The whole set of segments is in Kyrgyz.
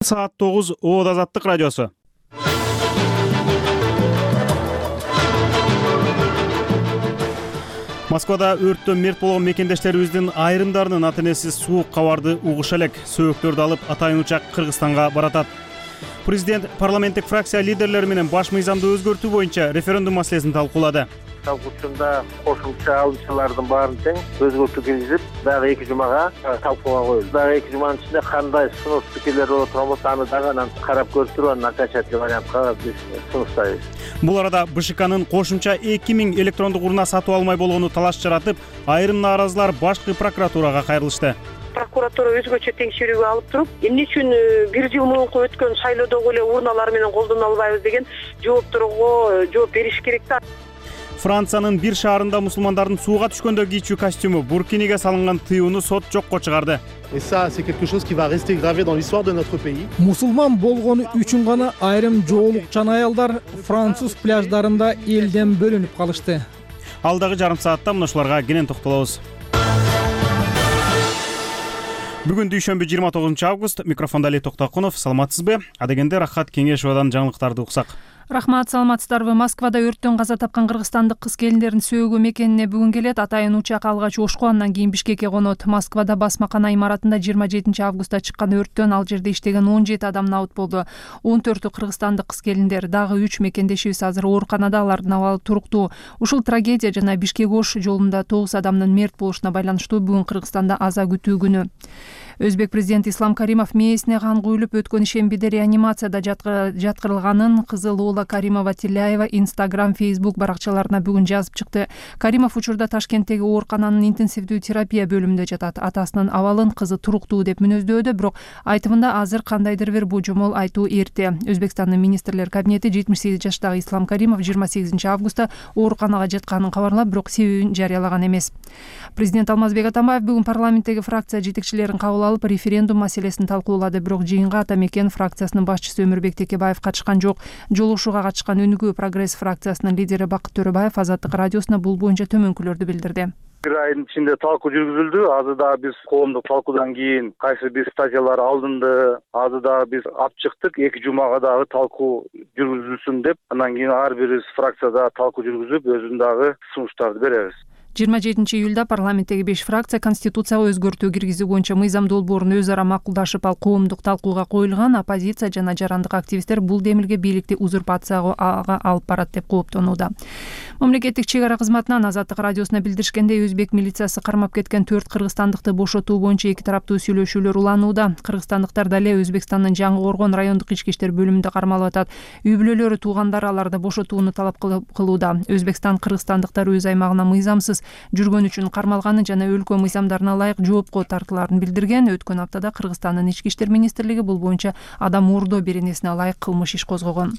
Саат 9 Оод Азаттык радиосу. Москвада өрттөн мерт болгон мекендештерибиздин айрымдарынын ата-энеси суук кабарды угуша элек. Сөөктөрдү алып атайын учак Кыргызстанга баратат. Президент парламенттик фракция лидерлери менен баш мыйзамды өзгөртүү боюнча референдум маселесин талкуулады. Талкуучунда кошумча алымчылардын баарын тең өзгөртүү киргизип, дагы 2 жумага талкууга коюлду. Дагы 2 жуманын ичинде кандай сунуш пикирлер болот болбосо аны дагы анан карап көрүп туруп, анан окончательный вариантка биз сунуштайбыз. Бул арада БШКнын кошумча 2000 электрондук урна сатып алмай болгону талаш жаратып, айрым нааразылар башкы прокуратурага кайрылышты. Прокуратура өзгөчө текшерүүгө алып туруп, эмне үчүн 1 жыл мурунку өткөн шайлоодогу эле урналар менен колдоно албайбыз деген жоопторго жооп бериш керек да. Франциянын бир шаарында мусулмандардын сууга түшкөндө кийчүү костюму буркиниге салынган тыюуну сот жокко чыгарды. Et ça, c'est quelque chose qui va rester gravé dans l'histoire de notre pays. Мусулман болгону үчүн гана айрым жоолукчан аялдар француз пляждарында элден бөлүнүп калышты. Алдагы жарым саатта мына ушуларга кенен токтолобуз. Бүгүн дүйшөмбү 29 август. Микрофондо Али Токтокунов. Саламатсызбы? Адегенде Рахат Кеңешовадан жаңылыктарды уксак. Рахмат, саламатсыздарбы? Москвада өрттөн каза тапкан кыргызстандык кыз келиндердин сөөгү мекенине бүгүн келет. Атайын учак алгач Ошко, андан кийин Бишкекке конот. Москвада басмакана имаратында 27 августта чыккан өрттөн ал жерде иштеген 17 адам набыт болду. 14-ü кыргызстандык кыз келиндер, дагы 3 мекендешибиз азыр ооруканада, алардын абалы туруктуу. Ушул трагедия жана Бишкек-Ош жолунда 9 адамдын мерт болушуна байланыштуу бүгүн Кыргызстанда аза күтүү күнү. Өзбек президенти Ислам Каримов мээсине кан куюлуп өткөн ишембиде реанимацияда жаткырылганын кызы Лола Каримова-Тилляева Instagram, Facebook баракчаларына бүгүн жазып чыкты. Каримов учурда Ташкенттеги оорукананын интенсивдүү терапия бөлүмүндө жатат. Атасынын абалын кызы туруктуу деп мүнөздөөдө, бирок айтымында азыр кандайдыр бир божомол айтуу эрте. Өзбекстандын министрлер кабинети 78 жаштагы Ислам Каримов 28 августта ооруканага жатканын кабарлап, бирок себебин жарыялаган эмес. Президент Алмазбек Атамбаев бүгүн парламенттеги фракция жетекчилерин кабыл алып референдум маселесин талкуулады, бирок жыйынга Атамекен фракциясынын башчысы Өмүрбек Текебаев катышкан жок. Жолугушууга катышкан Өнүгүү Прогресс фракциясынын лидери Бакыт Төрөбаев Азаттык радиосуна бул боюнча төмөнкүлөрдү билдирди. Bir ayın içinde talkuu жүргүзүлдү. Azı da biz коомдук талкуудан кийин кайсы бир статьялар алынды, азы да biz алып чыктык. 2 жумага дагы талкуу жүргүзүлсүн деп, андан кийин ар бир фракцияда талкуу жүргүзүп, өзүнүн дагы сунуштарды беребиз. 27 июлда парламенттеги 5 фракция конституцияга өзгөртүү киргизүү боюнча мыйзам долбоорун өз ара макулдашып, ал коомдук талкууга коюлган. Оппозиция жана жарандык активисттер бул демилге бийликти узурпацияга алып барат деп кооптонууда. Мамлекеттик чек ара кызматынан Азаттык радиосуна билдиришкендей, өзбек милициясы кармап кеткен 4 кыргызстандыкты бошотуу боюнча эки тараптуу сүйлөшүүлөр уланууда. Кыргызстандыктар дале Өзбекстандын Жаңы Коргон райондук ички иштер бөлүмүндө кармалып атат. Үй бүлөлөрү, туугандары аларды бошотууну талап кылууда. Өзбекстан кыргызстандыктар өз аймагына мыйзамсыз жүргөн үчүн кармалганын жана өлкө мыйзамдарына ылайык жоопко тартылаарын билдирген. Өткөн аптада Кыргызстандын ички иштер министрлиги бул боюнча адам уурдоо беренесине ылайык кылмыш иш козгогон.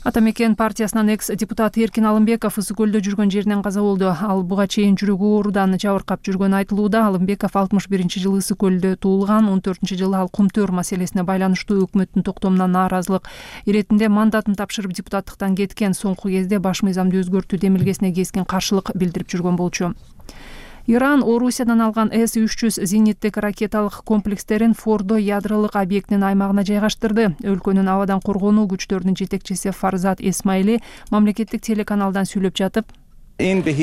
Атамекен партиясынан экс-депутат Эркин Алымбеков Ысык көлдө жүргөн жеринен каза болду. Ал буга чейин жүрөгү оорудан жабыркап жүргөнү айтылууда. Алымбеков 61-жылы Ысык көлдө туулган. 14-жылы ал кумтөр маселесине байланыштуу өкмөттүн токтомуна нааразылык иретинде мандатын тапшырып депутаттыктан кеткен. Соңку кезде баш мыйзамды өзгөртүү демилгесине кескин каршылык билдирип жүргөн болчу. Иран Орусиядан алган С-300 зениттик ракеталык комплекстерин Фордо ядролук объектинин аймагына жайгаштырды. Өлкөнүн абадан коргонуу күчтөрүнүн жетекчиси Фарзат Эсмайли мамлекеттик телеканалдан сүйлөп жатып, кандай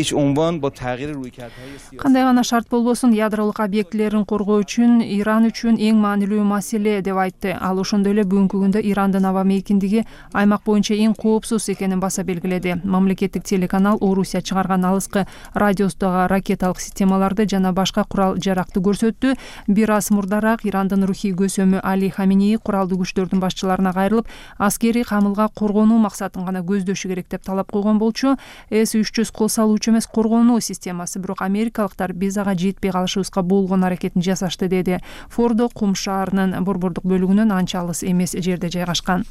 гана шарт болбосун ядролук объектилерин коргоо үчүн Иран үчүн эң маанилүү маселе деп айтты. Ал ошондой эле бүгүнкү күндө Ирандын аба мейкиндиги аймак боюнча эң коопсуз экенин баса белгиледи. Мамлекеттик телеканал Орусия чыгарган алыскы радиустагы ракеталык системаларды жана башка курал жаракты көрсөттү. Бир аз мурдараак Ирандын рухий көсөмү Али Хаминеи куралдуу күчтөрдүн башчыларына кайрылып, аскерий камылга коргонуу максатын гана көздөшү керек деп талап койгон болчу. С-300 кол салуучу эмес, коргонуу системасы, бирок америкалыктар биз ага жетпей калышыбызга болгон аракетин жасашты, деди. Фордо Кум шаарынын борбордук бөлүгүнөн анча алыс эмес жерде жайгашкан.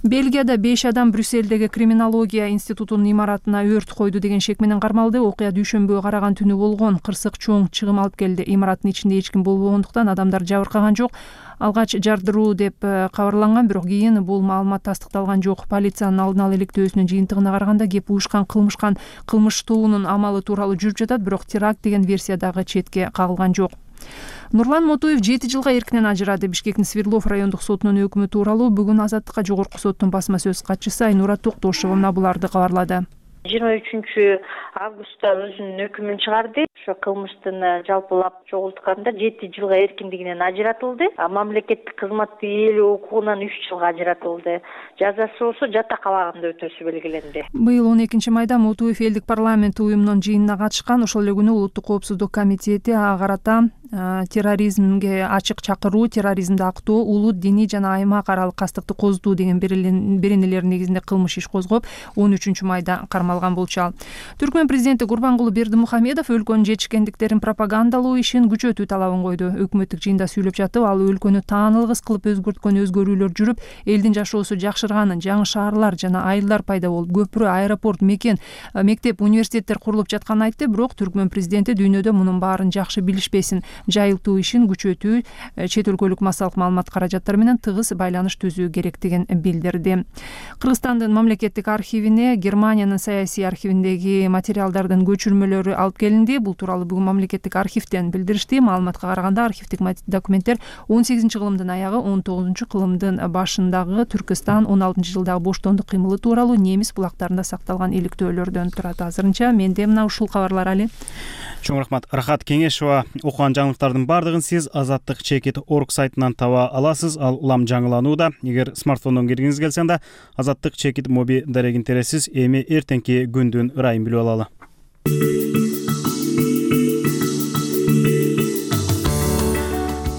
Бельгияда 5 адам Брюссельдеги криминология институтунун имаратына өрт койду деген шек менен кармалды. Окуя дүйшөмбүгө караган түнү болгон. Кырсык чоң чыгым алып келди. Имараттын ичинде эч ким болбогондуктан адамдар жабыркаган жок. Алгач жардыруу деп кабарланган, бирок кийин бул маалымат тастыкталган жок. Полициянын алдын ала иликтөөсүнүн жыйынтыгына караганда кеп уюшкан кылмыш тоонун амалы тууралуу жүрүп жатат, бирок теракт деген версия дагы четке кагылган жок. Нурлан Мотуев 7 жылга эркинен ажырады. Бишкектин Свердлов райондук сотунун өкүмү тууралуу бүгүн Азаттыкка Жогорку соттун басма сөз катчысы Айнура Токтошевна буларды кабарлады. 23 августта өзүнүн өкүмүн чыгарды. Ошо кылмыштын жалпылап чогултканда 7 жылга эркиндигинен ажыратылды. Мамлекеттик кызматты ээлөө укугунан 3 жылга ажыратылды. Жазасы болсо жатак абагында өтөсү белгиленди. Быйыл 12 майда Мотуев элдик парламент уюмунун жыйынына катышкан. Ошол эле күнү Улуттук коопсуздук комитети ага карата терроризмге ачык чакыруу, терроризмди актоо, улут, диний жана аймак аралык кастыкты козутуу деген беренелер негизинде кылмыш иш козгоп, 13 майда кармалган болчу ал. Түркмөн президенти Гурбангулы Бердимухамедов өлкөнүн жетишкендиктерин пропагандалоо ишин күчөтүү талабын койду. Өкмөттүк жыйында сүйлөп жатып, ал өлкөнү таанылгыс кылып өзгөрткөн өзгөрүүлөр жүрүп, элдин жашоосу жакшырганын, жаңы шаарлар жана айылдар пайда болуп, көпүрө, аэропорт, мекен, мектеп, университеттер курулуп жатканын айтты. Бирок Түркмөн президенти дүйнөдө мунун баарын жакшы билишпесин, жайылтуу ишин күчөтүү, чет өлкөлүк массалык маалымат каражаттары менен тыгыз байланыш түзүү керектигин билдирди. Кыргызстандын мамлекеттик архивине Германиянын саясий архивиндеги материалдардын көчүрмөлөрү алып келинди. Бул тууралуу бүгүн мамлекеттик архивден билдиришти. Маалыматка караганда архивдик документтер 18-кылымдын аягы, 19-кылымдын башындагы Түркистан 16-жылдагы боштондук кыймылы тууралуу немис булактарында сакталган иликтөөлөрдөн турат. Азырынча менде мына ушул кабарлар али. Чоң рахмат. Рахат Кеңешова. Окуган жаңылыктардын бардыгын сиз Азаттык.org сайтынан таба аласыз. Ал улам жаңыланууда. Эгер смартфондон киргиңиз келсе анда Азаттык моби дарегин тересиз. Эми эртеңки күндүн ырайын билип алалы.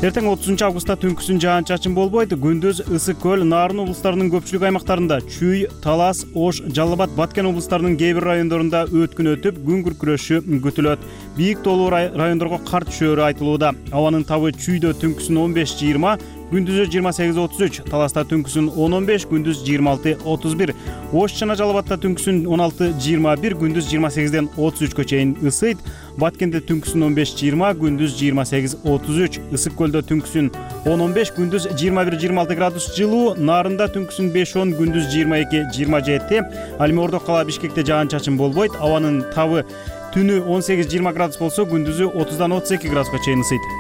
Эртең 30 августта түнкүсүн жаан-чачын болбойт. Күндүз Ысык көл, Нарын облустарынын көпчүлүк аймактарында, Чүй, Талас, Ош, Жалал Абад, Баткен облустарынын кээ бир райондорунда өткүн өтүп, күн күркүрөшү күтүлөт. Бийик тоолуу райондорго кар түшөөрү айтылууда. Абанын табы Чүйдө түнкүсүн 15-20, күндүзү 28-33, Таласта түнкүсүн 10-15, күндүз 26-31, Ош жана Жалал Абадта түнкүсүн 16-21, күндүз 28-ден 33 чейин ысыйт. Баткенде түнкүсүн 15-20, күндүз 28-33, Ысык көлдө түнкүсүн 10-15, күндүз 21-26 градус жылуу, Нарында түнкүсүн 5-10, күндүз 22-27, Ал эми Ордо кала Бишкекте жаан-чачын болбойт. Абанын табы түнү 18-20 градус болсо, күндүзү 30-32 градуска чейин ысыйт.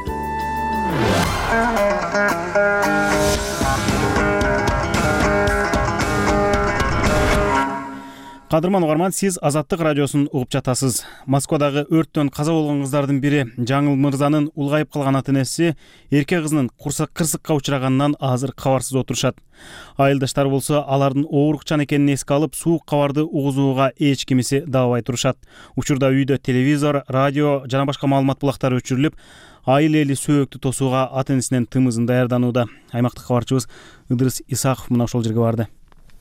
Кадырман угарман, сиз Азаттык радиосун угуп жатасыз. Москвадагы өрттөн каза болгон кыздардын бири Жаңыл Мырзанын улгайып калган ата-энеси эрке кызынын кырсыкка учраганынан азыр кабарсыз отурушат. Айылдаштары болсо алардын оорукчан экенин эске алып, суук кабарды угузууга эч кимиси даабай турушат. Учурда үйдө телевизор, радио жана башка маалымат булактары өчүрүлүп, айыл эли сөөктү тосууга ата-энесинен тымызын даярданууда. Аймактык кабарчыбыз Ыдырыс Исаков мына ошол жерге барды.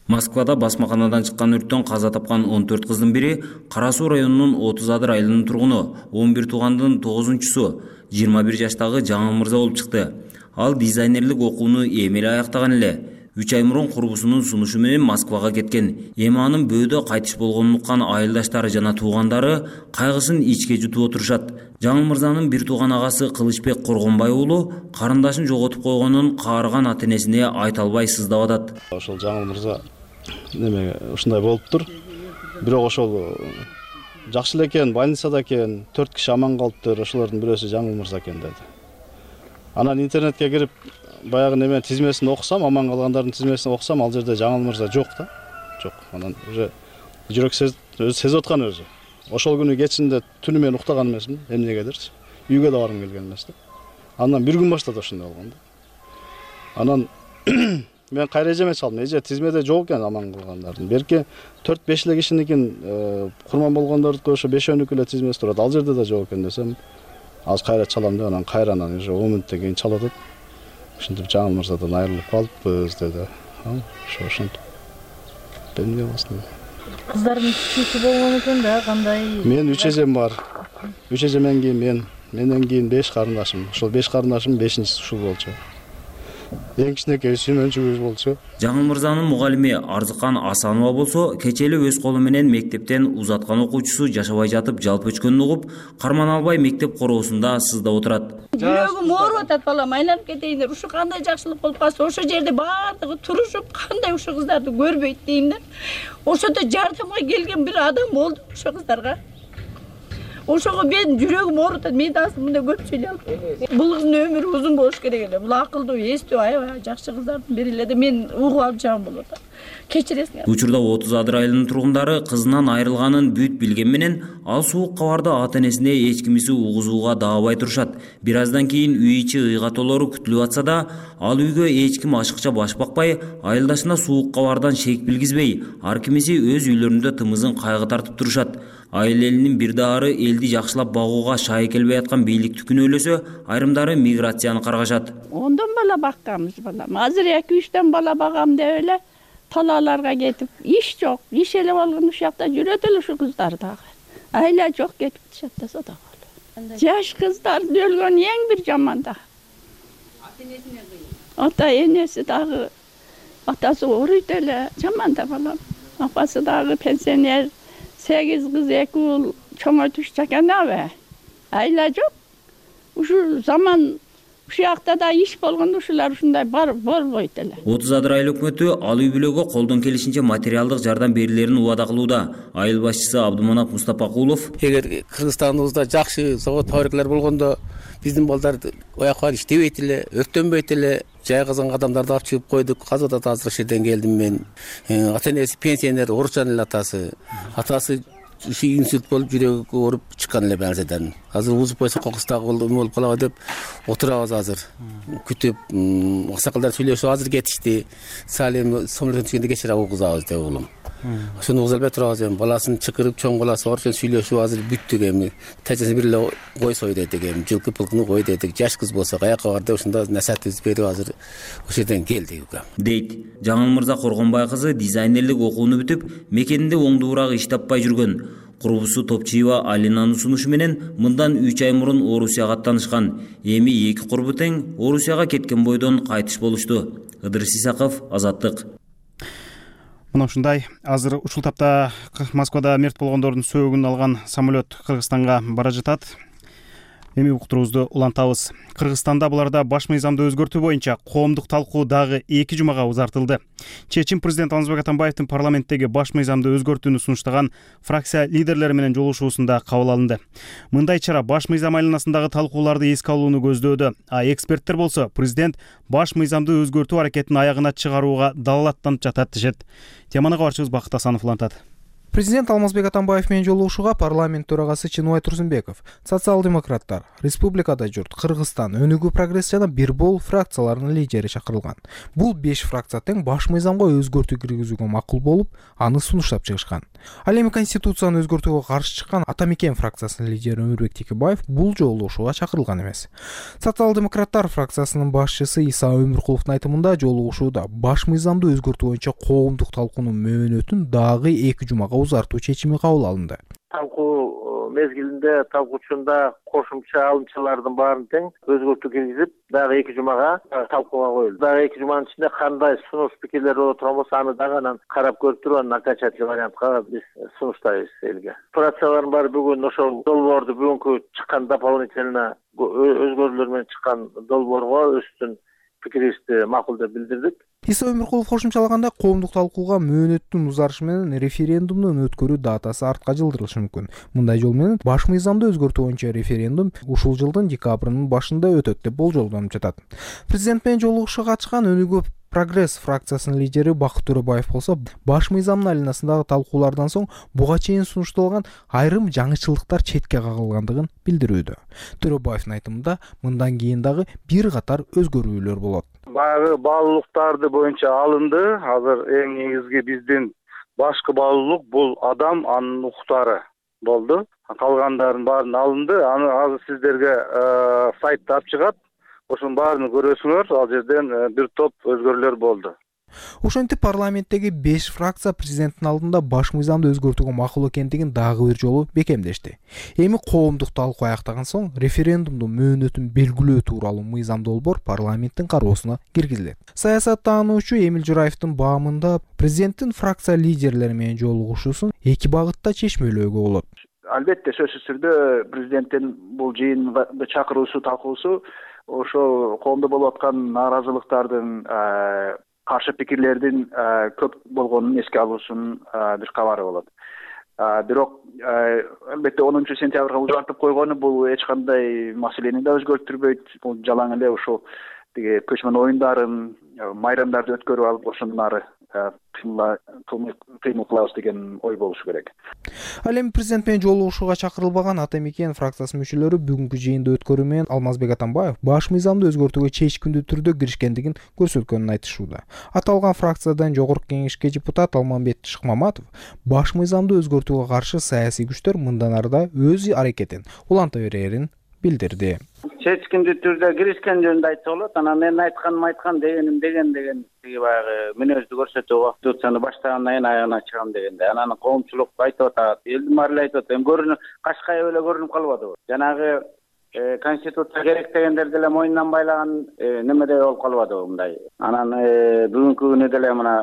Москвада басмаканадан чыккан өрттөн каза тапкан 14 кыздын бири Кара Суу районунун 30 Адыр айылынын тургуну, 11 туугандын 9-су 21 жаштагы Жаңыл Мырза болуп чыкты. Ал дизайнерлик окууну эми эле аяктаган эле. 3 ай мурун курбусунун сунушу менен Москвага кеткен. Эми анын бөөдө кайтыш болгонун уккан айылдаштары жана туугандары кайгысын ичке жутуп отурушат. Жаңыл Мырзанын бир тууган агасы Кылычбек Коргонбай уулу карындашын жоготуп койгонун каарыган ата-энесине айта албай сыздап атат. Ошол Жаңыл Мырза неме ушундай болуптур. Бирок ошол жакшы эле экен, больницада экен, 4 киши аман калыптыр. Ошолордун бирөөсү Жаңыл Мырза экен деди. Анан интернетке кирип баягы неме тизмесин окусам, аман калгандардын тизмесин окусам, ал жерде Жаңыл Мырза жок да. Жок. Анан уже жүрөк сезип аткан өзү. Ошол күнү кечинде түнү мен уктаган эмесмин, эмнегедирчи. Үйгө да баргым келген эмес да. Андан бир күн баштап ошондой болгон да. Анан мен кайра эжеме чалдым. Эже тизмеде жок экен аман калгандардын. Берки 4-5 эле кишиникин курман болгондордуку ошо 5-өнүкү эле тизмеси турат. Ал жерде да жок экен десем, азыр кайра чалам деп, анан кайрадан уже 10 мүнөттөн кийин чалып атат. Ушинтип Жаңыл Мырзадан айрылып калыппыз деди. Ошентип. Эмне болсун? Кыздардын түшүнүшү болгон экен да, кандай? Мен 3 эжем бар. 3 эжемден кийин менден кийин 5 карындашым. Ошол 5 карындашым 5-инчиси ушул болчу. Эң кичинекей сүймөнчүгүбүз болчу. Жаңыл Мырзанын мугалими Арзыкан Асанова болсо, кечээ эле өз колу менен мектептен узаткан окуучусу жашабай жатып жалп өчкөнүн угуп, карман албай мектеп короосунда сыздап отурат. Жүрөгүм ооруп атат, балам, айланып кетейиндер. Ушу кандай жакшылык болуп калса, ошол жерде баардыгы турушуп, кандай ушул кыздарды көрбөйт дейм да. Ошондо жардамга келген бир адам болду ошол кыздарга. Ошого мен жүрөгүм оорутат. Мен да мындай көп сүйлөй албайм. Бул кыздын өмүрү узун болуш керек эле. Бул акылдуу, эстүү, аябай жакшы кыздардын бири эле да мен угуп алып жагым болот. Кечиресиң. Учурда 30 Адыр айылынын тургундары кызынан айрылганын бүт билген менен ал суук кабарды ата-энесине эчкимиси угузууга даабай турушат. Бир аздан кийин үй ичи ыйга толору күтүлүп атса да, ал үйгө эч ким ашыкча баш бакпай, айылдашына суук кабардан шек билгизбей, ар кимиси өз үйлөрүндө тымызын кайгы тартып турушат. Айыл элинин бир даары элди жакшылап багууга шай келбей аткан бийликти күнөөлөсө, айрымдары миграцияны каргашат. 10 бала бакканбыз балам. Азыр 2-3 бала багам деп эле талааларга кетип, иш жок. Иш эле болгон ушул жакта жүрөт эле ушу кыздар дагы. Айла жок кетип жатса дагы. Жаш кыздар өлгөн эң бир жаман да. Ата-энесине кыйын. Ата-энеси дагы атасы ооруйт эле, жаман да балам. Апасы дагы пенсионер, 8 кыз 2 уул чоңойтуш чаканабы. Айла жок. Ушул заман ушул жакта да иш болгондо ушулар ушундай болбойт эле. 30 Адыр айыл өкмөтү ал үй бүлөгө колдон келишинче материалдык жардам берилерин убада кылууда. Айыл башчысы Абдыманап Мустапакулов: Эгер Кыргызстаныбызда жакшы завод фабрикалар болгондо биздин балдар ояка барып иштебейт эле, өрттөнбөйт эле. Жай казанга адамдарды алып чыгып койдук. Азыр да азыр ошол жерден келдим мен. Ата-энеси пенсионер, ооручан эле атасы. Атасы ушу инсульт болуп жүрөгү ооруп чыккан эле базадан. Азыр узуп койсо кокустагы болуп калабы деп отурабыз азыр. Күтүп, аксакалдар сүйлөшүп азыр кетишти. Салим сомлотон түшкөндө кечире угузабыз деп улум. Ошону угуза албай турабыз эми. Баласын чакырып чоң баласы бар үчүн сүйлөшүп азыр бүттүк эми. Тажасын бир эле кой сой дедик эми. Жылкы пылкыны кой дедик. Жаш кыз болсо каяка бар деп ушунда насаатыбызды берип азыр ошол жерден келдик. Дейт. Жаңыл Мырза Коргонбай кызы дизайнерлик окууну бүтүп, мекенинде оңдуураак иш таппай жүргөн. Курбусу Топчиева Алинанын сунушу менен мындан 3 ай мурун Орусияга аттанышкан. Эми эки курбу тең Орусияга кеткен бойдон кайтыш болушту. Ыдырыс Исаков, Азаттык. Мына ушундай азыр ушул тапта Москвада мерт болгондордун сөөгүн алган самолет Кыргызстанга бара жатат. Эми уктуруубузду улантабыз. Кыргызстанда буларда баш мыйзамды өзгөртүү боюнча коомдук талкуу дагы 2 жумага узартылды. Чечим президент Алмазбек Атамбаевдин парламенттеги баш мыйзамды өзгөртүүнү сунуштаган фракция лидерлери менен жолугушуусунда кабыл алынды. Мындай чара баш мыйзам айланасындагы талкууларды эске алууну көздөөдө, а эксперттер болсо президент баш мыйзамды өзгөртүү аракетин аягына чыгарууга далалаттанып жатат дешет. Теманы кабарчыбыз Бакыт Асанов улантат. Президент Алмазбек Атамбаев менен жолугушууга парламент төрагасы Чыныбай Турсунбеков, социал-демократтар, Республикада журт, Кыргызстан, Өнүгүү прогресс жана Бирбол фракцияларынын лидери чакырылган. Бул 5 фракция тең баш мыйзамга өзгөртүү киргизүүгө макул болуп, аны сунуштап чыгышкан. Ал эми конституцияны өзгөртүүгө каршы чыккан Атамекен фракциясынын лидери Өмүрбек Текебаев бул жолугушууга чакырылган эмес. Социал-демократтар фракциясынын башчысы Иса Өмүркуловдун айтымында жолугушууда баш мыйзамды өзгөртүү боюнча коомдук талкуунун мөөнөтүн дагы 2 жумага узартуу чечими кабыл алынды. Талкуу мезгилинде талкуучунда кошумча алымчалардын баарын тең өзгөртүү киргизип, дагы 2 жумага талкууга коюлду. Дагы 2 жуманын ичинде кандай сунуш пикирлер боло турган болсо, аны дагы анан карап көрүп туруп, анан окончательный вариантка биз сунуштайбыз элге. Фракциялардын баары бүгүн ошол долбоорду бүгүнкү чыккан дополнительно өзгөрүүлөр менен чыккан долбоорго өздүн пикирибизди макул деп билдирдик. Иса Өмүркулов кошумчалаганда коомдук талкууга мөөнөттүн узарышы менен референдумдун өткөрүү датасы артка жылдырылышы мүмкүн. Мындай жол менен баш мыйзамды өзгөртүү боюнча референдум ушул жылдын декабрынын башында өтөт деп болжолдонуп жатат. Президент менен жолугушууга катышкан Өнүгүү прогресс фракциясынын лидери Бакыт Төрөбаев болсо, баш мыйзамдын айланасындагы талкуулардан соң буга чейин сунушталган айрым жаңычылыктар четке кагылгандыгын билдирүүдө. Төрөбаевдин айтымында мындан кийин дагы бир катар өзгөрүүлөр болот. Баягы баалуулуктарды боюнча алынды. Азыр эң негизги биздин башкы баалуулук бул адам, анын укуктары болду. Калгандардын баарын алынды. Аны азыр сиздерге сайтта алып чыгат. Ошонун баарын көрөсүңөр. Ал жерден бир топ өзгөрүүлөр болду. Ошентип парламенттеги 5 фракция президенттин алдында баш мыйзамды өзгөртүүгө макул экендигин дагы бир жолу бекемдешти. Эми коомдук талкуу аяктаган соң референдумдун мөөнөтүн белгилөө тууралуу мыйзам долбоор парламенттин кароосуна киргизилет. Саясаттануучу Эмил Жураевдин баамында президенттин фракция лидерлери менен жолугушуусун 2 багытта чечмелөөгө болот. Албетте сөзсүз түрдө президенттин бул жыйынга чакыруусу, талкуусу ошол коомдо болуп аткан нааразылыктардын, каршы пикирлердин көп болгонун эске алуусунун бир кабары болот. Бирок албетте 10 сентябрга узартып койгону бул эч кандай маселени да өзгөртүрбөйт. Бул жалаң эле ошол тиги көчмөн оюндарын, майрамдарды өткөрүп алып ошондон ары кыймыл кылабыз деген ой болушу керек. Ал эми президент менен жолугушууга чакырылбаган Ата Мекен фракциясынын мүчөлөрү бүгүнкү жыйынды өткөрүү менен Алмазбек Атамбаев баш мыйзамды өзгөртүүгө чечкиндүү түрдө киришкендигин көрсөткөнүн айтышууда. Аталган фракциядан жогорку кеңешке депутат Алмамбет Шыкмаматов баш мыйзамды өзгөртүүгө каршы саясий күчтөр мындан арыда өз аракетин уланта берерин билдирди. Чечкиндүү түрдө киришкен жөнүндө айтса болот. Анан мен айткан дегеним деген тиги баягы мүнөздү көрсөтүү Конституцияны баштагандан кийин аягына чыгам дегенде. Анан коомчулук айтып атат, элдин баары эле айтып атат. Эми көрүнүп, Кашкай эле көрүнүп калбадыбы? Жанагы Конституция керек дегендер деле мойнунан байлаган немедей болуп калбадыбы мындай. Анан бүгүнкү күнү деле мына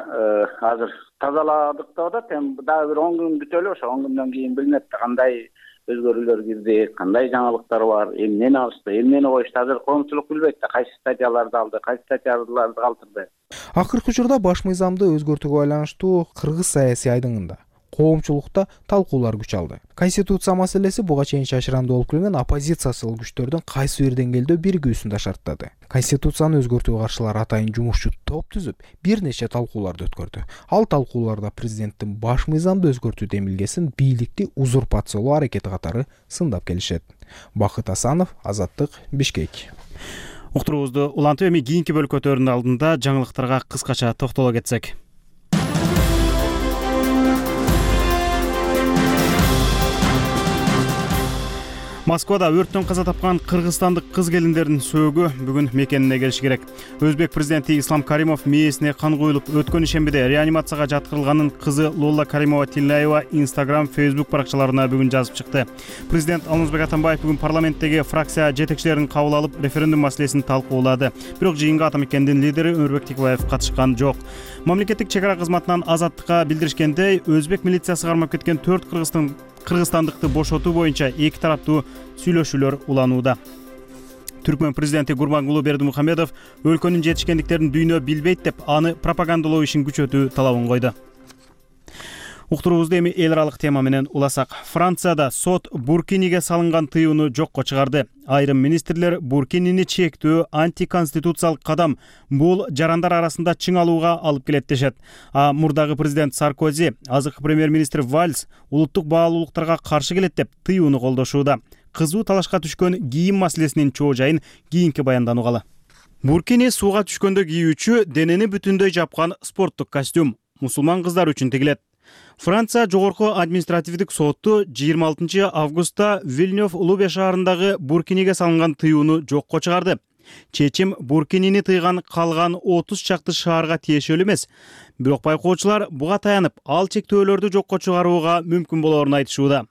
азыр тазаладык деп атат. Эми дагы бир 10 күн күтөлү, ошо 10 күндөн кийин билинет кандай өзгөрүүлөр кирди, кандай жаңылыктар бар, эмнени алышты, эмнени коюшту. Азыр коомчулук билбейт да, кайсы статьяларды алды, кайсы статьяларды калтырды. Акыркы учурда баш мыйзамды өзгөртүүгө байланыштуу кыргыз саясий айдыңында коомчулукта талкуулар күч алды. Конституция маселеси буга чейин шашырандуу болуп келген оппозициялык күчтөрдүн кайсы бир деңгээлде биригүүсүн да шарттады. Конституцияны өзгөртүүгө каршылар атайын жумушчу топ түзүп, бир нече талкууларды өткөрдү. Ал талкууларда президенттин баш мыйзамды өзгөртүү демилгесин бийликти узурпациялоо аракети катары сындап келишет. Бакыт Асанов, Азаттык, Бишкек. Уктуруубузду улантып, эми кийинки бөлкөтөрүнүн алдында жаңылыктарга кыскача токтоло кетсек. Москвада өрттөн каза тапкан кыргызстандык кыз келиндердин сөөгү бүгүн мекенине келиши керек. Өзбек президенти Ислам Каримов мээсине кан куюлуп, өткөн ишембиде реанимацияга жаткырылганын кызы Лолла Каримова Тилляева Instagram, Facebook баракчаларына бүгүн жазып чыкты. Президент Алмазбек Атамбаев бүгүн парламенттеги фракция жетекчилерин кабыл алып, референдум маселесин талкуулады. Бирок жыйынга Ата Мекендин лидери Өмүрбек Тикебаев катышкан жок. Мамлекеттик чек ара кызматынан Азаттыкка билдиришкендей, өзбек милициясы кармап кеткен 4 кыргызстандыкты бошотуу боюнча эки тараптуу сүйлөшүүлөр уланууда. Түркмөн президенти Гурбангулы Бердимухамедов өлкөнүн жетишкендиктерин дүйнө билбейт деп аны пропагандалоо ишин күчөтүү талабын койду. Уктуруубузду эми эл аралык тема менен уласак. Францияда сот Буркиниге салынган тыюуну жокко чыгарды. Айрым министрлер Буркинини чектөө антиконституциялык кадам, бул жарандар арасында чың алууга алып келет дешет. Мурдагы президент Саркози, азыркы премьер-министр Вальс улуттук баалуулуктарга каршы келет деп тыюуну колдошууда. Кызуу талашка түшкөн кийим маселесинин чоо жайын кийинки баяндан угалы. Буркини сууга түшкөндө кийүүчү денени бүтүндөй жапкан спорттук костюм мусулман кыздар үчүн тигилет. Франция жогорку административдик соту 26 августта Вильнёв Лубе шаарындагы Буркиниге салынган тыюуну жокко чыгарды. Чечим Буркинини тыйган калган 30 чакты шаарга тиешелүү эмес. Бирок байкоочулар буга таянып, ал чектөөлөрдү жокко чыгарууга мүмкүн болоорун айтышууда.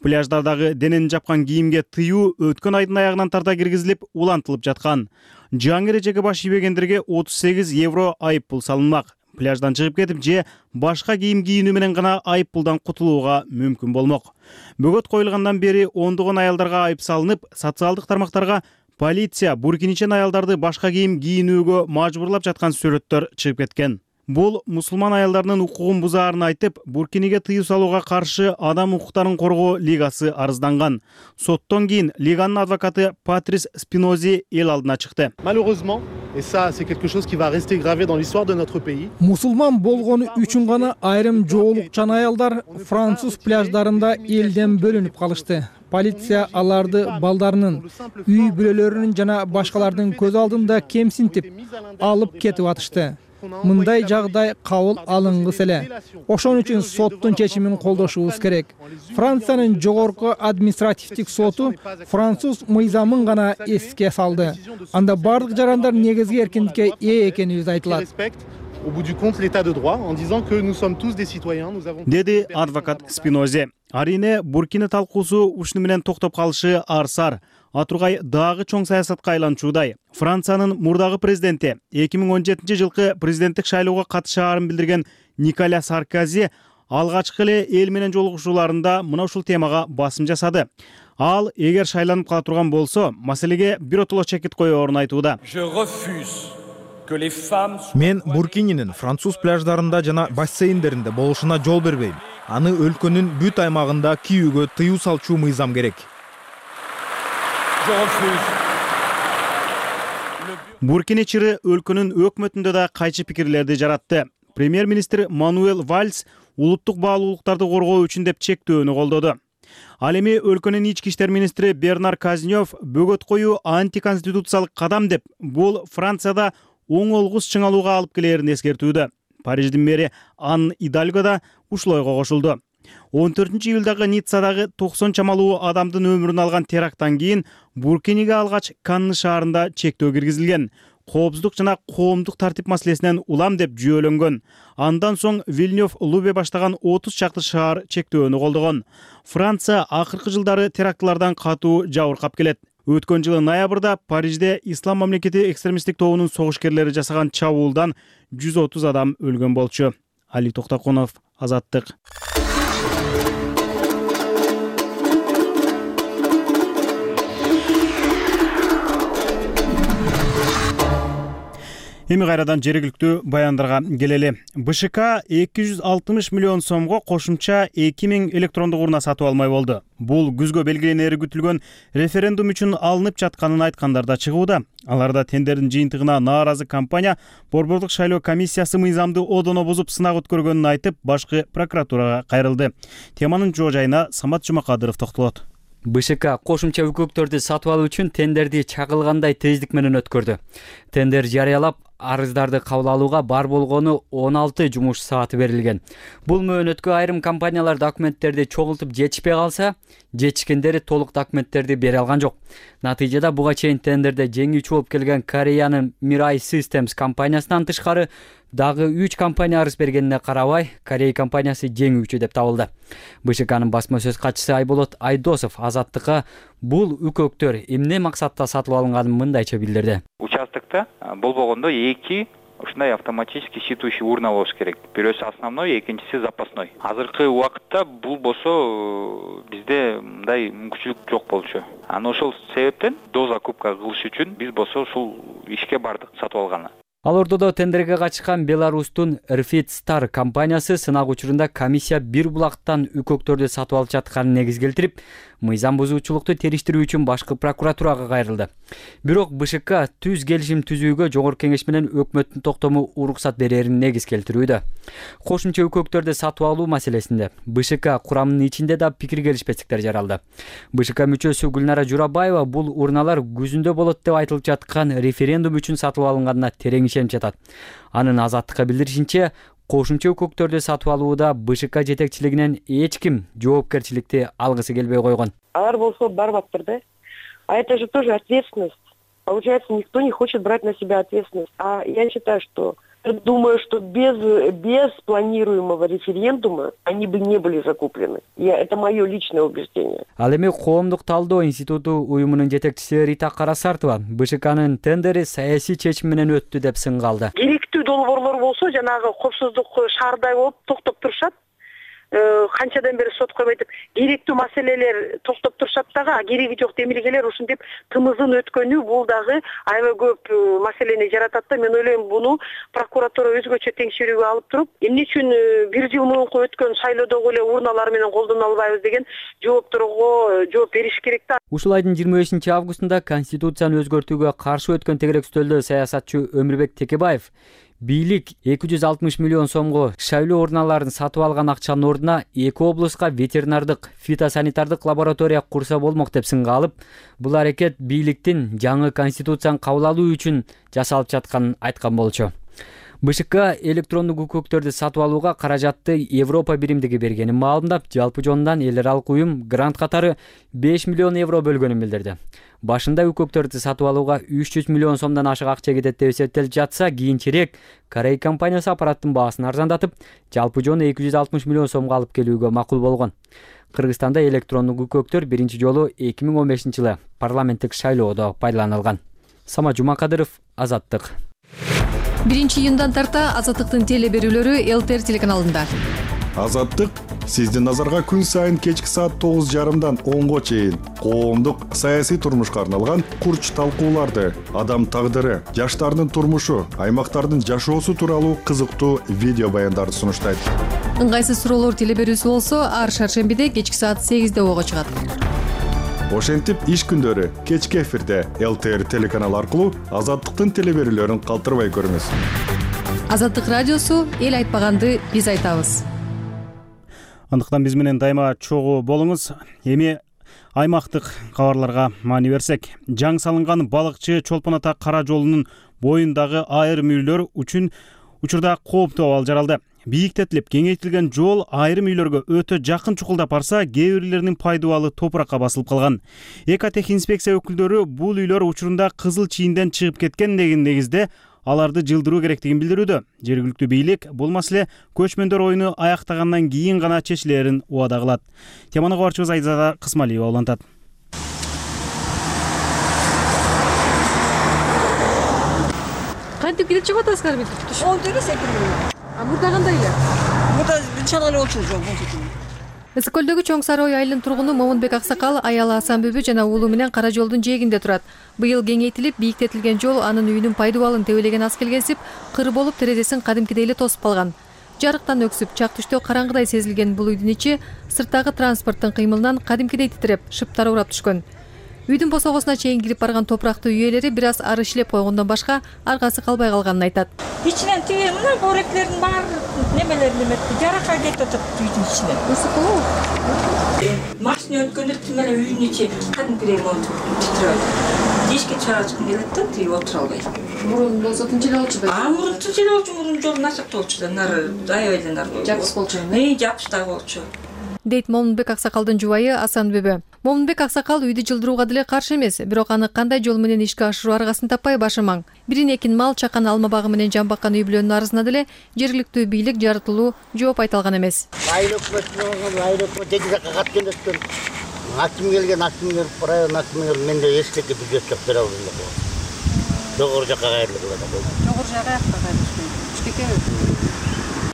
Пляждардагы денени жапкан кийимге тыюу өткөн айдын аягынан тарта киргизилип, улантылып жаткан. Жаңы эрежеге баш ийбегендерге 38 евро айып пул салынмак. Пляждан чыгып кетип же башка кийим кийинүү менен гана айып пулдан кутулууга мүмкүн болмок. Бөгөт коюлгандан бери ондогон аялдарга айып салынып, социалдык тармактарга полиция буркиничен аялдарды башка кийим кийинүүгө мажбурлап жаткан сүрөттөр чыгып кеткен. Бул мусулман аялдарынын укугун бузаарын айтып, Буркиниге тыюу салууга каршы Адам укуктарын коргоо лигасы арызданган. Соттон кийин лиганын адвокаты Патрис Спинози эл алдына чыкты. Malheureusement, et ça c'est quelque chose qui va rester gravé dans l'histoire de notre pays. Мусулман болгону үчүн гана айрым жоолукчан аялдар француз пляждарында элден бөлүнүп калышты. Полиция аларды балдарынын, үй бүлөлөрүнүн жана башкалардын көз алдында кемсинтип алып кетип атышты. Мындай жагдай кабыл алынгыс эле. Ошон үчүн соттун чечимин колдошубуз керек. Франциянын жогорку административдик соту француз мыйзамын гана эске салды. Анда бардык жарандар негизги эркиндикке ээ экенибиз айтылат. Au bout du compte, l'état de droit, en disant que nous sommes tous des citoyens, nous avons... Деди адвокат Спинози. Арине Буркина талкуусу ушуну менен токтоп калышы арсар. Атургай дагы чоң саясатка айланчуудай. Франциянын мурдагы президенти 2017 жылкы президенттик шайлоого катышаарын билдирген Николя Саркози алгачкы эле эл менен жолугушууларында мына ушул темага басым жасады. Ал эгер шайланып кала турган болсо, маселеге биротоло чекит коёорун айтууда. Мен Буркининин француз пляждарында жана бассейндеринде болушуна жол бербейм. аны өлкөнүн бүт аймагында кийүүгө тыюу салчу мыйзам керек. Буркина-Чиры өлкөнүн өкмөтүндө да кайчы пикирлерди жаратты. Премьер-министр Мануэл Вальс улуттук баалуулуктарды коргоо үчүн деп чектөөнү колдоду. Ал эми өлкөнүн ички иштер министри Бернар Казнёв бөгөт коюу антиконституциялык кадам деп, бул Францияда оң олгус чыңалууга алып келерин эскертүүдө. Париждин мэри Ан Идальго да ушул ойго кошулду. 14-июлдагы Ниццадагы 90 чамалуу адамдын өмүрүн алган теракттан кийин Буркинеге алгач Канны шаарында чектөө киргизилген. Коопсуздук жана коомдук тартип маселесинен улам деп жүйөлөнгөн. Андан соң Вильнёв Лубе баштаган 30 чакты шаар чектөөнү колдогон. Франция акыркы жылдары терактлардан катуу жабыркап келет. Өткөн жылы ноябрда Парижде Ислам мамлекети экстремисттик тобунун согушкерлери жасаган чабуулдан 130 адам өлгөн болчу. Али Токтакунов, Азаттык. Эми кайрадан жергиликтүү баяндарга келели. БШК 260 миллион сомго кошумча 2000 электрондук урна сатып алмай болду. Бул күзгө белгиленери күтүлгөн референдум үчүн алынып жатканын айткандар да чыгууда. Аларда тендердин жыйынтыгына нааразы компания Борбордук шайлоо комиссиясы мыйзамды одоно бузуп сынак өткөргөнүн айтып, башкы прокуратурага кайрылды. Теманын жоо жайына Самат Жумакадыров токтолот. БШК кошумча үкөктөрдү сатып алуу үчүн тендерди чагылгандай тездик менен өткөрдү. Тендер жарыялап, арыздарды кабыл алууга бар болгону 16 жумуш сааты берилген. Бул мөөнөткө айрым компаниялар документтерди чогултуп жетишпей калса, жетишкендери толук документтерди бере алган жок. Натыйжада буга чейин тендерде жеңүүчү болуп келген Кореянын Mirai Systems компаниясынан тышкары дагы 3 компания арыз бергенине карабай, Корей компаниясы жеңүүчү деп табылды. БШКнын басма сөз катчысы Айболот Айдосов Азаттыкка бул үкөктөр эмне максатта сатылып алынганын мындайча билдирди. Участокто болбогондо 2 ушундай автоматический считывающий урна болуш керек. Бирөөсү основной, экинчиси запасной. Азыркы убакытта бул болсо бизде мындай мүмкүнчүлүк жок болчу. Аны ошол себептен до закупка кылыш үчүн биз болсо ушул ишке бардык сатып алганы. Ал ортодо тендерге катышкан Беларустун Rfit Star компаниясы сынак учурунда комиссия бир булактан үкөктөрдү сатып алып жатканын негиз келтирип, мыйзам бузуучулукту териштирүү үчүн башкы прокуратурага кайрылды. Бирок БШК түз келишим түзүүгө жогорку кеңеш менен өкмөттүн токтому уруксат берерин негиз келтирүүдө. Кошумча үкөктөрдү сатып алуу маселесинде БШК курамынын ичинде да пикир келишпестиктер жаралды. БШК мүчөсү Гүлнара Журабаева бул урналар күзүндө болот деп айтылып жаткан референдум үчүн сатып алынганына терең ишенип жатат. Анын Азаттыкка билдиришинче, кошумча үкөктөрдү сатып алууда БШК жетекчилигинен эч ким жоопкерчиликти алгысы келбей койгон. Алар болсо барбаптыр да. А это же тоже ответственность. Получается, никто не хочет брать на себя ответственность. А я считаю, что думаю, что без планируемого референдума они бы не были закуплены. Это мое личное убеждение. Ал эми коомдук талдоо институту уюмунун жетекчиси Рита Карасартова БШКнын тендери саясий чечим менен өттү деп сынга алды. Керектүү долбоорлор болсо, жанагы коопсуздук шаардай болуп токтоп турушат. Канчадан бери сот койбойт деп керектүү маселелер токтоп турушат дагы, кереги жок демилгелер ушинтип тымызын өткөнү бул дагы аябай көп маселени жаратат да. Мен ойлойм, буну прокуратура өзгөчө текшерүүгө алып туруп, эмне үчүн 1 жыл мурунку өткөн шайлоодогу эле урналар менен колдоно албайбыз деген жоопторго жооп бериш керек да. Ушул айдын 25 августунда Конституцияны өзгөртүүгө каршы өткөн тегерек стөлдө саясатчы Өмүрбек Текебаев бийлик 260 миллион сомго шайлоо урналарын сатып алган акчанын ордуна 2 облуска ветеринардык, фитосанитардык лаборатория курса болмок деп сынга алып, бул аракет бийликтин жаңы конституцияны кабыл алуу үчүн жасалып жатканын айткан болчу. БШК электрондук үкөктөрдү сатып алууга каражатты Европа биримдиги бергенин маалымдап, жалпы жонунан эл аралык уюм грант катары 5 миллион евро бөлгөнүн билдирди. Башында үкөктөрдү сатып алууга 300 миллион сомдон ашык акча кетет деп эсептелип жатса, кийинчерээк Корей компаниясы аппараттын баасын арзандатып, жалпы жону 260 миллион сомго алып келүүгө макул болгон. Кыргызстанда электрондук үкөктөр биринчи жолу 2015-жылы парламенттик шайлоодо пайдаланылган. Самат Жумакадыров, Азаттык. 1-июндан тарта Азаттыктын теле берүүлөрү ЛТР телеканалында. Азаттык Сиздин назарга күн сайын кечки саат 9:30 10го чейин коомдук саясий турмушка арналган курч талкууларды, адам тагдыры, жаштардын турмушу, аймактардын жашоосу тууралуу кызыктуу видео баяндарды сунуштайт. Ыңгайсыз суроолор теле берүүсү болсо, ар шаршембиде кечки саат 8де ого чыгат. Ошентип иш күндөрү кечки эфирде ЛТР телеканалы аркылуу Азаттыктын теле берүүлөрүн калтырбай көрүңүз. Азаттык радиосу эл айтпаганды биз айтабыз. Андыктан биз менен дайыма чогуу болуңуз. Эми аймактык кабарларга маани берсек, жаңы салынган балыкчы Чолпон ата Кара жолунун боюндагы айрым үйлөр үчүн учурда кооптуу абал жаралды. Бийиктетилип, кеңейтилген жол айрым үйлөргө өтө жакын чукулдап барса, кээ бирлеринин пайдубалы топуракка басылып калган. Экотех инспекция өкүлдөрү бул үйлөр учурунда кызыл чийинден чыгып кеткен деген негизде аларды жылдыруу керектигин билдирүүдө. Жергиликтүү бийлик бул маселе көчмөндөр оюну аяктагандан кийин гана чечилерин убада кылат. Теманы кабарчыбыз Айзада Кысмалиева улантат. Кантип келип чыгып атасыздар бит? Ол деле секирүү. А мурда кандай эле? Мурда чала эле болчу жол болчу. Ысык көлдөгү Чоң Сарой айылынын тургуну Момунбек Аксакал аялы Асанбүбү жана уулу менен Кара жолдун жээгинде турат. Быйыл кеңейтилип, бийиктетилген жол анын үйүнүн пайдубалын тебелеген аз келгенсип, кыр болуп терезесин кадимкидей эле тосуп калган. Жарыктан өксүп, чак түштө караңгыдай сезилген бул үйдүн ичи сырттагы транспорттун кыймылынан кадимкидей титиреп, шыптар урап түшкөн. Үйдүн босогосуна чейин кирип барган топурактуу үй ээлери бир аз ары ишлеп койгондон башка аргасы калбай калганын айтат. Ичинен тиги мына боректердин баары немелери неметти, жарака кетип атат үйдүн ичинен. Ысык болобу? Машина өткөндө тим эле үйдүн ичи кадимкидей болуп титиреп. Эшикке чыгачкым келет да, тиги отура албай. Мурун болсо тынч эле болчу. Мурун тынч эле болчу, мурун жол начар болчу да, нары аябай эле нары. Жапыс болчу. Жапыш да болчу. Дейт Момунбек Аксакалдын жубайы Асанбүбү. Момунбек Аксакал үйдү жылдырууга деле каршы эмес, бирок аны кандай жол менен ишке ашыруу аргасын таппай башы маң. Бирин экин мал чакан алма багы менен жамбаккан үй бүлөнүн арызына деле жергиликтүү бийлик жарытылуу жооп айта алган эмес. Айыл өкмөтүнөн жети жакка кат келиптир. Аким келген, аким келип, район акими келип, менде эчтеке бюджет жок бере албайм деп. Жогору жакка кайрылып калат. Жогору жакка кайрылып. Эчтеке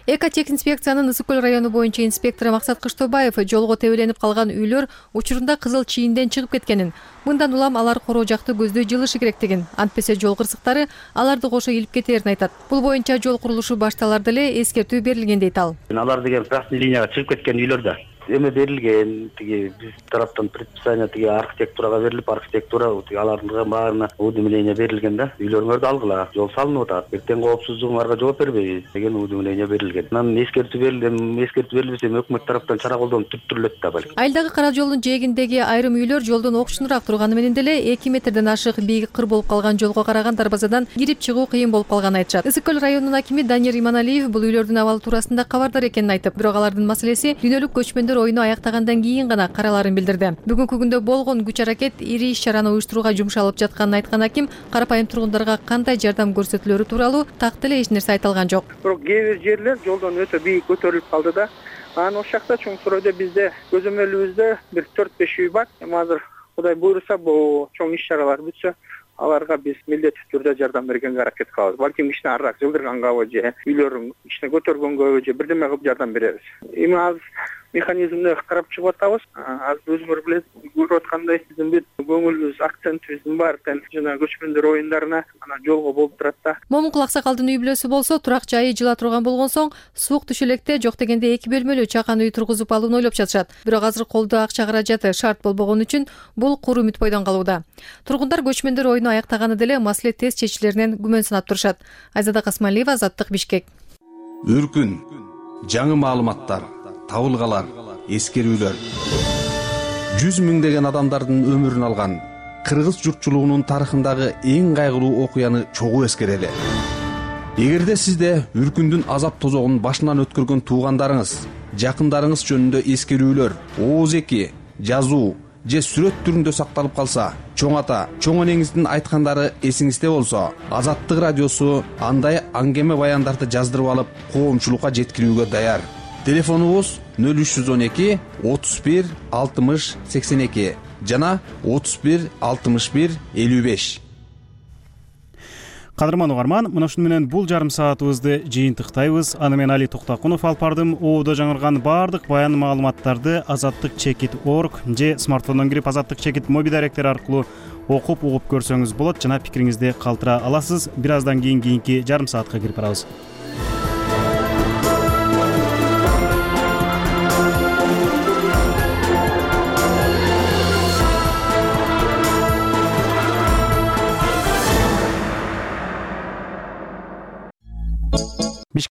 Экотех инспекциянын Ысык көл району боюнча инспектору Максат Кыштообаев жолго тебеленип калган үйлөр учурунда кызыл чийинден чыгып кеткенин, мындан улам алар короо жакты көздөй жылышы керектигин, антпесе жол кырсыктары аларды кошо илип кетерин айтат. Бул боюнча жол курулушу башталар деле эскертүү берилген дейт ал. Алар деген красный линияга чыгып кеткен үйлөрдө эме берилген, тиги биз тараптан предписание тиги архитектурага берилип, архитектура тиги алардын баарына уведомление берилген да. Үйлөрүңөрдү алгыла, жол салынып атат. Эртең коопсуздугуңарга жооп бербейбиз деген уведомление берилген. Анан эскертүү берилбесе өкмөт тараптан чара колдонуп түптүрүлөт да балким. Айылдагы Кара жолдун жээгиндеги айрым үйлөр жолдон окшунураак турганы менен деле 2 метрден ашык бийик кыр болуп калган жолго караган дарбазадан кирип чыгуу кыйын болуп калганын айтышат. Ысык көл районунун акими Данияр Иманалиев бул үйлөрдүн абалы туурасында кабардар экенин айтып, бирок алардын маселеси күнөөлүк көчмөндөр оюну аяктагандан кийин гана караларын билдирди. Бүгүнкү күндө болгон күч аракет ири иш-чараны уюштурууга жумшалып жатканын айткан аким карапайым тургундарга кандай жардам көрсөтүлөрү тууралуу так деле эч нерсе айта алган жок. Бирок кээ бир жерлер жолдон өтө бийик көтөрүлүп калды да. Анан ошол жакта Чоң Саройдо бизде көзөмөлүбүздө бир 4-5 үй бар. Азыр Кудай буйруса бул чоң иш-чаралар бүтсө, аларга биз милдеттүү түрдө жардам бергенге аракет кылабыз. Балким ишне арыраак жылдыргангабы же үйлөрүн ишне көтөргөнгө же бирдеме кылып жардам беребиз. Эми азыр механизмди карап чыгып атабыз. Азыр өзүңөр билесиз, көрүп аткандай биздин бүт көңүлүбүз, акцентибиздин баары жана көчмөндөр оюндарына, анан жолго болуп турат да. Момункул Аксакалдын үй бүлөсү болсо турак жайы жыла турган болгон соң суук түшө электе жок дегенде 2 бөлмөлүү чакан үй тургузуп алууну ойлоп жатышат. Бирок азыр колдо акча каражаты шарт болбогон үчүн бул куру үмүт бойдон калууда. Тургундар көчмөндөр оюну аяктаганы деле маселе тез чечилеринен күмөн санап турушат. Айзада Касмалиева, Азаттык, Бишкек. Үркүн, жаңы маалыматтар, табылгалар, эскерүүлөр. 100 миңдеген адамдардын өмүрүн алган кыргыз журтчулугунун тарыхындагы эң кайгылуу окуяны чогуу эскерели. Эгерде сизде үркүндүн азап тозогун башынан өткөргөн туугандарыңыз, жакындарыңыз жөнүндө эскерүүлөр, ооз-эки, жазуу же сүрөт түрүндө сакталып калса, чоң ата, чоң энеңиздин айткандары эсиңизде болсо, Азаттык радиосу андай аңгеме баяндарды жаздырып алып, коомчулукка жеткирүүгө даяр. Телефонубуз 0312 31 60 82 жана 31 61 55. Кадырман угарман, мына ушуну менен бул жарым саатыбызды жыйынтыктайбыз. Аны мен Али Токтакунов алып бардым. Оодо жаңырган баардык баян маалыматтарды azattik.org же смартфондон кирип azattik моби даректери аркылуу окуп угуп көрсөңүз болот жана пикириңизди калтыра аласыз. Бир аздан кийин кийинки жарым саатка кирип барабыз.